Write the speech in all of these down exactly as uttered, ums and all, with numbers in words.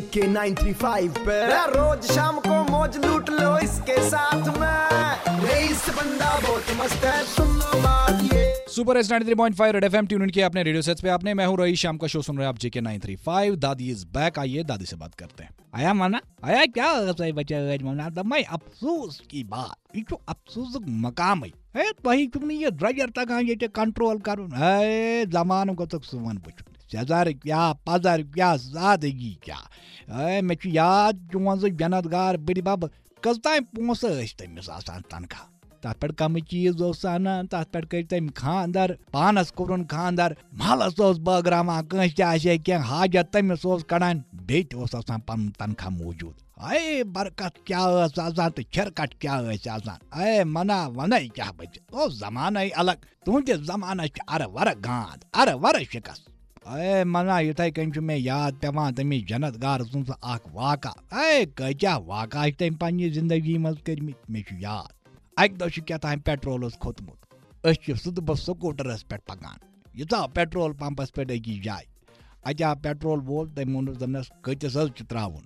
के nine three five पे रोज शाम को मौज लूट लो इसके साथ में। रईस बंदा बहुत मस्त है, सुन लो बात ये। Super S ninety three point five red FM tune in किया अपने रेडियो सेट्स पे आपने। मैं हूं रईस, शाम का शो सुन रहे हैं आप जेके नाइन थ्री फ़ाइव। दादी इज बैक, आइए दादी से बात करते हैं। आया मना, आया क्या हो गया बच्चा आज मना? तो मैं अफसोस की बात, ये तो अफसोस मकाम है। ہے، تۄہہِ چھُو نہٕ یہِ درٛۄجر تگان ییٚتہِ کنٹرول کرُن۔ ہے، زمانہٕ گوٚژھُکھ سون وٕچھُن۔ سیٚزر کیٛاہ، پزر کیٛاہ، سادگی کیٛاہ۔ ہے، مےٚ چھُ یاد، چون سُہ جنت گار بٕڈِ بب، کٔژ تام پونٛسہٕ ٲسۍ تٔمِس آسان تنخواہ؟ تتھ پٮ۪ٹھ کمٕے چیٖز اوس سُہ انان، تتھ پٮ۪ٹھ کٔرۍ تٔمۍ خانٛدر، پانس کوٚرُن خانٛدر، محلس اوس بٲگراوان، کٲنٛسہِ تہِ آسہِ ہے کینٛہہ حاجت، تٔمِس اوس کڑان، بیٚیہِ تہِ اوس آسان پنُن تنخواہ موٗجوٗد۔ ہے، برکت کیٛاہ ٲس آسان تہٕ چھِرکٹ کیٛاہ ٲسۍ آسان۔ ہے، منا ونے کیٛاہ بچہِ، اوس زمانے الگ۔ تُہنٛدِس زمانس چھِ ارٕ ورٕ گانٛد، ارٕ ورٕ شِکس۔ اے منا، یِتھے کٔنۍ چھُ مےٚ یاد پٮ۪وان تٔمِس جنت گار سُنٛد سُہ اکھ واقعہ۔ اے کٲتیٛاہ واقعہ چھِ تٔمۍ پننہِ زندگی منٛز کٔرمٕتۍ، مےٚ چھُ یاد۔ اکہِ دۄہ چھُ کیٛاہ تام پیٹرول اوس کھوٚتمُت۔ أسۍ چھِ سُہ تہٕ بہٕ سکوٗٹرس پٮ۪ٹھ پکان۔ یہِ ژاو پیٹرول پمپس پٮ۪ٹھ أکِس جایہِ۔ اتہِ آو پیٹرول وول، تٔمۍ ووٚنُس، دوٚپنس، کۭتِس حظ چھُ ترٛاوُن؟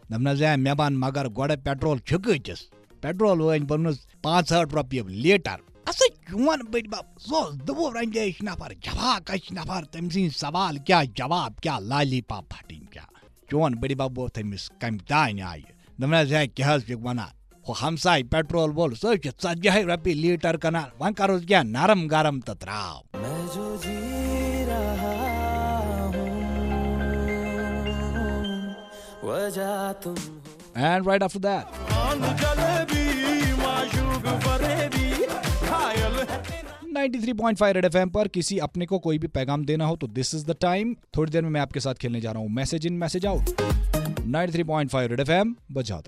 دوٚپنس، ہے، مےٚ ون مگر گۄڈٕ پیٹرول چھُ کۭتِس؟ پیٹرول وٲلۍ ووٚنُس، پانٛژھ ہٲٹھ رۄپیہِ لیٖٹر۔ اسا چون بٔڈۍ بب، سُہ اوس دُوُر اندیش نفر، جفاکش نفر، تٔمۍ سٕنٛدۍ سوال کیٛاہ، جواب کیٛاہ، لالی پاپ پھٹٕنۍ کیٛاہ؟ چون بٔڈۍ بب ووٚتھ أمِس کمہِ دانہِ آیہِ۔ دوٚپنس، ہے، کیٛاہ حظ چھُکھ ونان؟ ہُہ ہمساے پیٹرول وول، سُہ حظ چھُ ژتجی رۄپیہِ لیٖٹر کٕنان، وۄنۍ کرُس کینٛہہ نرم گرم تہٕ ترٛاو۔ میں جو جی رہا ہوں، وجہ تم ہو۔ And right after that, آن جلیبی معشوق فریبی، کھائل ہے۔ Ninety three point five red FM पर किसी अपने को कोई भी पैगाम देना हो तो this is the time। थोड़ी देर में मैं आपके साथ खेलने जा रहा हूँ मैसेज इन message out. Ninety three point five red FM बजाते